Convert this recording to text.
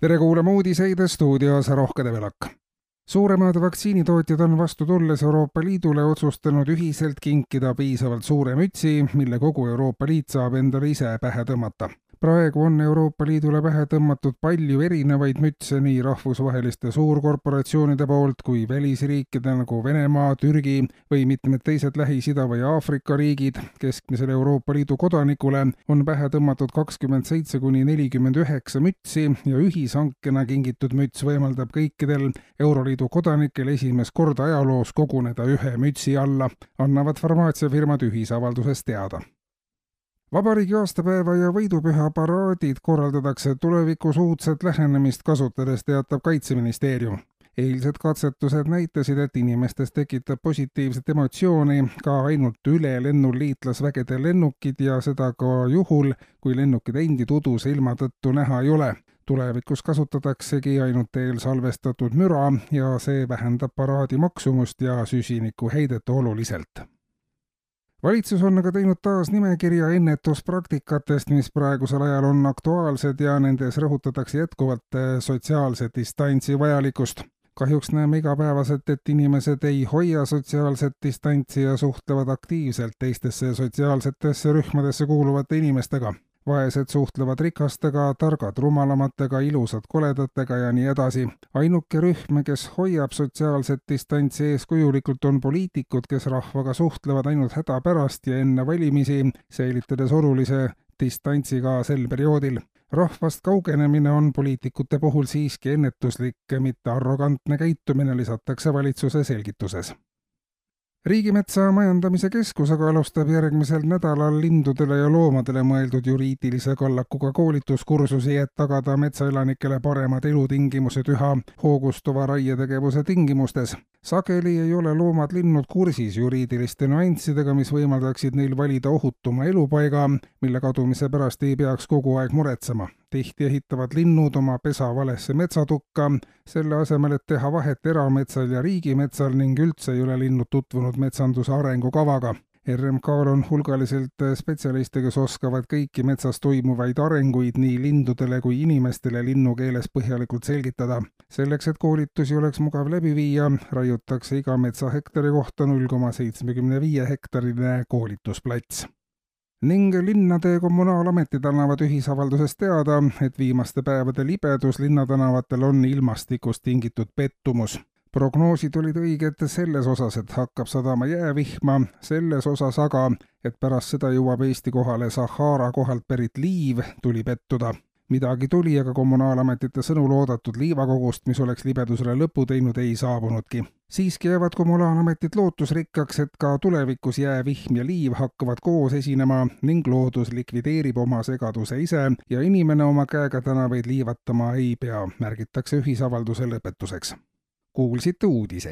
Tere kuulama uudiseid stuudios Rohke Develak. Suuremad vaktsiinitootjad on vastu tulles Euroopa Liidule otsustanud ühiselt kinkida piisavalt suure mütsi, mille kogu Euroopa Liit saab endale ise pähe tõmmata. Praegu on Euroopa Liidule pähe tõmmatud palju erinevaid mütse nii rahvusvaheliste suurkorporatsioonide poolt kui välisriikide nagu Venemaa, Türgi või mitmed teised Lähis-Ida või Aafrika riigid. Keskmisele Euroopa Liidu kodanikule on pähe tõmmatud 27–49 mütsi ja ühishankena kingitud müts võimaldab kõikidel Euroliidu kodanikel esimest korda ajaloos koguneda ühe mütsi alla, annavad farmaatsiafirmad ühisavaldusest teada. Vabariigi aastapäeva ja võidupüha paraadid korraldatakse tulevikus uudset lähenemist kasutades, teatab Kaitseministeerium. Eilsed katsetused näitasid, et inimestes tekitab positiivset emotsiooni ka ainult üle lennul liitlasvägede lennukid ja seda ka juhul, kui lennukid endid uduse ilma tõttu näha ei ole. Tulevikus kasutataksegi ainult eelsalvestatud müra ja see vähendab paraadi maksumust ja süsinikuheidet oluliselt. Valitsus on aga teinud taas nimekirja ennetuspraktikatest, mis praegusel ajal on aktuaalsed ja nendes rõhutatakse jätkuvalt sotsiaalse distantsi vajalikkust. Kahjuks näeme igapäevaselt, et inimesed ei hoia sotsiaalset distantsi ja suhtlevad aktiivselt teistesse sotsiaalsetesse rühmadesse kuuluvate inimestega. Vaesed suhtlevad rikastega, targad rumalamatega, ilusad koledatega ja nii edasi. Ainuke rühm, kes hoiab sotsiaalset distantsi eeskujulikult, on poliitikud, kes rahvaga suhtlevad ainult häda pärast ja enne valimisi, säilitades olulise distantsi ka sel perioodil. Rahvast kaugenemine on poliitikute puhul siiski ennetuslik, mitte arrogantne käitumine, lisatakse valitsuse selgituses. Riigimetsa majandamise keskus aga alustab järgmisel nädalal lindudele ja loomadele mõeldud juriidilise kallakuga koolituskursusi, et tagada metsaelanikele paremad elutingimused üha hoogustuva raietegevuse tingimustes. Sageli ei ole loomad-linnud kursis juriidiliste nüanssidega, mis võimaldaksid neil valida ohutuma elupaiga, mille kadumise pärast ei peaks kogu aeg muretsema. Tihti ehitavad linnud oma pesa valesse metsatukka, selle asemel, et teha vahet erametsal ja riigimetsal ning üldse ei ole linnud tutvunud metsanduse arengukavaga. RMK-l on hulgaliselt spetsialiste, kes oskavad kõiki metsas toimuvaid arenguid nii lindudele kui inimestele linnukeeles põhjalikult selgitada. Selleks, et koolitusi oleks mugav läbi viia, raiutakse iga metsahektari kohta 0,75 hektarile koolitusplats. Ning linnade kommunaalametid annavad ühisavaldusest teada, et viimaste päevade libedus linnatänavatel on ilmastikust tingitud pettumus. Prognoosid olid õiged selles osas, et hakkab sadama jäävihma, selles osas aga, et pärast seda jõuab Eesti kohale Sahara kohalt pärit liiv, tuli pettuda. Midagi tuli, aga kommunaalametite sõnul oodatud liivakogust, mis oleks libedusele lõpu teinud, ei saabunudki. Siiski jäävad kommunaalametid lootusrikkaks, et ka tulevikus jäävihm ja liiv hakkavad koos esinema ning loodus likvideerib oma segaduse ise ja inimene oma käega tänavaid liivatama ei pea, märgitakse ühisavalduse lõpetuseks. Kuulsite uudiseid.